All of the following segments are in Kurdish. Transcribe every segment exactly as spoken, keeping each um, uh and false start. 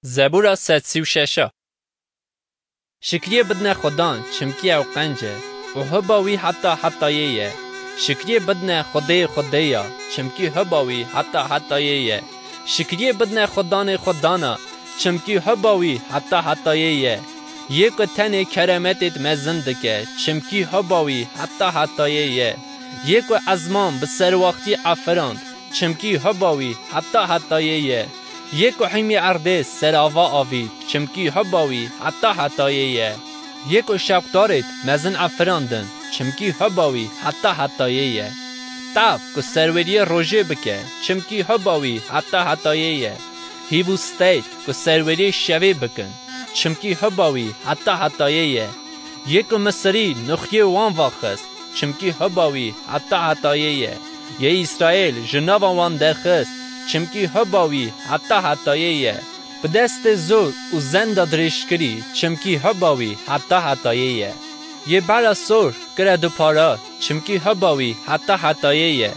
Zebûra sed sî û şeş. Şikriyê bidine Xudan, çimkî ew qenc e û hiba wî heta hetayê ye. Şikriyê bidine Xwedê Xwedê ya, çimkî hiba wî heta hetayê ye. Şikriyê bidine Xudanê Xwedana, çimkî hiba wî heta hetayê ye. Yê ku tenê keremetêd mezin dike, çimkî hiba wî heta hetayê ye. Yê ku ezman bi serwaxtî efirand, çimkî hiba wî heta hetayê ye. Yê ku hîmî erdê serava avît, çimkî hiba wî heta hetayê ye. Yê ku şewqdarêd mezin efirandin, çimkî hiba wî heta hetayê ye. Tev ku serweriyê rojê bike, çimkî hiba wî heta hetayê ye. Hîv û steyt ku serweriyê şevê bikin, çimkî hiba wî heta hetayê ye. Yê ku Misirî nuxyê wan va xist, çimkî hiba wî heta hetayê ye. Yê Îsraêl ji nava wan derxist, çimkî hiba wî heta hetayê ye. Bi destê zor û zenda dirêjkirî, çimkî hiba wî heta hetayê ye. Yê Bera Sor kire du para, çimkî hiba wî heta hetayê ye.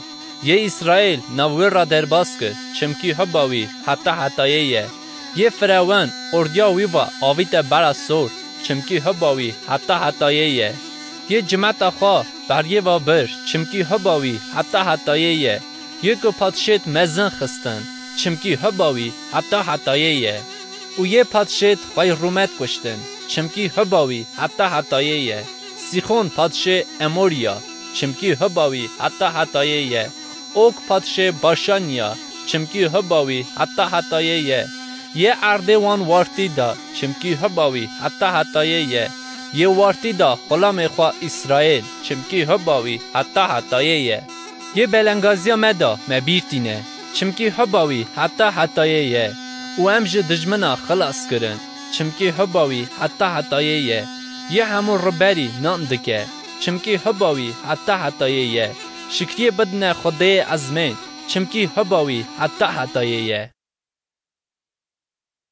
Yê Îsraêl nav wê re derbas kir, çimkî hiba wî heta hetayê ye. Yê Firewen ordiya wî va avîte Bera Sor, çimkî hiba wî heta hetayê ye. Yê cimeta xwe beriyê ve bir, çimkî hiba wî heta hetayê ye. Yê ku padşêd mezin xistin, çimkî hiba wî heta hetayê ye. Û yê padşêd xwey rûmet kuştin, çimkî hiba wî heta hetayê ye. Sîxon padşê Emorî ya, çimkî hiba wî heta hetayê ye. Og padşê Başanî ya, çimkî hiba wî heta hetayê ye. Yê erdê wan wartî da, çimkî hiba wî heta hetayê ye. Yê wartî da xulamê xwe Îsraêl, çimkî hiba wî heta hetayê ye. Yê belengaziya me da me bîr tîne, çimkî hiba wî heta hetayê ye. Û em ji dijmina xilas kirin, çimkî hiba wî heta hetayê ye. Yê hemû riberî nan dike, çimkî hiba wî heta hetayê ye. Şikriyê bidine Xwedê ezmên, çimkî hiba wî heta hetayê ye.